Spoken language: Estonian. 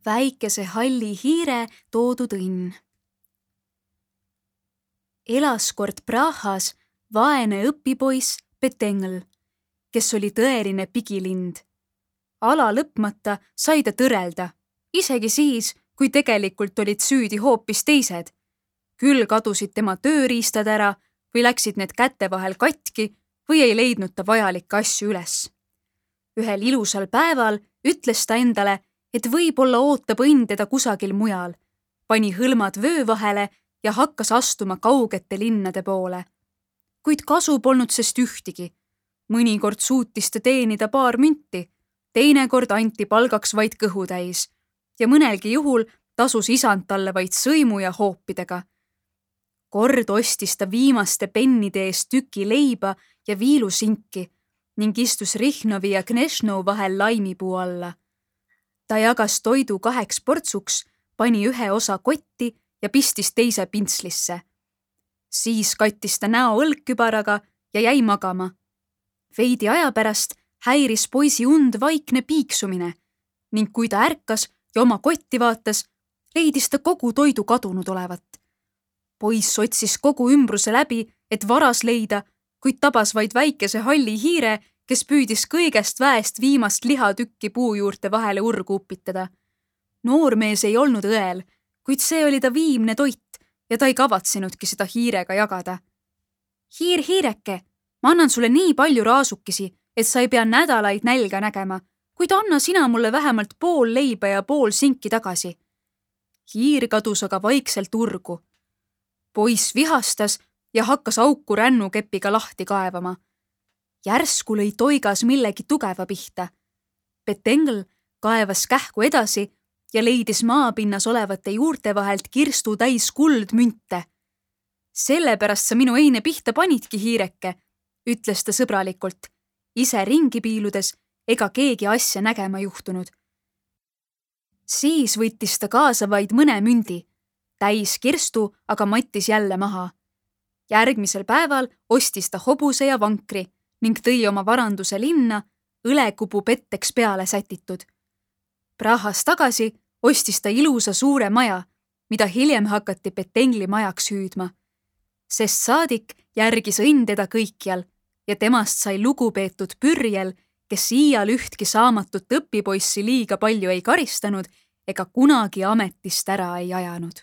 väikese halli hiire toodud õnn. Elas kord Prahas vaene õpipoiss Petengl, kes oli tõeline pigilind. Ala lõpmata sai ta tõrelda, isegi siis, kui tegelikult olid süüdi hoopis teised. Küll kadusid tema tööriistad ära või läksid need käte vahel katki või ei leidnud ta vajalikke asju üles. Ühel ilusal päeval ütles ta endale, et võib-olla ootab õnn teda kusagil mujal, pani hõlmad vöö vahele ja hakkas astuma kaugete linnade poole. Kuid kasu polnud sest ühtigi. Mõnikord suutis ta teenida paar münti, teinekord anti palgaks vaid kõhutäis ja mõnelgi juhul tasus isand talle vaid sõimu ja hoopidega. Kord ostis ta viimaste pennide eest tüki leiba ja viilusinki ning istus Rihnovi ja Knešnou vahel laimipuu alla. Ta jagas toidu 2 portsuks, pani ühe osa kotti ja pistis teise pintslisse. Siis kattis ta näo õlgkübaraga ja jäi magama. Veidi aja pärast häiris poisi und vaikne piiksumine ning kui ta ärkas ja oma kotti vaatas, leidis ta kogu toidu kadunud olevat. Poiss otsis kogu ümbruse läbi, et varas leida, kuid tabas vaid väikese halli hiire, kes püüdis kõigest väest viimast lihatükki puu juurte vahele urgu upitada. Noormees ei olnud õel, kuid see oli ta viimne toit ja ta ei kavatsenudki seda hiirega jagada. Hiir, hiireke, ma annan sulle nii palju raasukesi, et sa ei pea nädalaid nälga nägema, kuid anna sina mulle vähemalt pool leiba ja pool sinki tagasi. Hiir kadus aga vaikselt urgu. Poiss vihastas ja hakkas auku rännukepiga lahti kaevama. Järsku lõi toigas millegi tugeva pihta. Petengl kaevas kähku edasi ja leidis maapinnas olevate juurte vahelt kirstu täis kuldmünte. Sellepärast sa minu eine pihta panidki, hiireke, ütles ta sõbralikult, ise ringi piiludes ega keegi asja nägema juhtunud. Siis võttis ta kaasa vaid mõne mündi, täis kirstu aga mattis jälle maha. Järgmisel päeval ostis ta hobuse ja vankri ning tõi oma varanduse linna, õlekupu petteks peale sätitud. Prahas tagasi ostis ta ilusa suure maja, mida hiljem hakati Petengli majaks hüüdma. Sest saadik järgis õnn teda kõikjal ja temast sai lugupeetud pürjel, kes iial ühtki saamatut õpipoissi liiga palju ei karistanud ega kunagi ametist ära ei ajanud.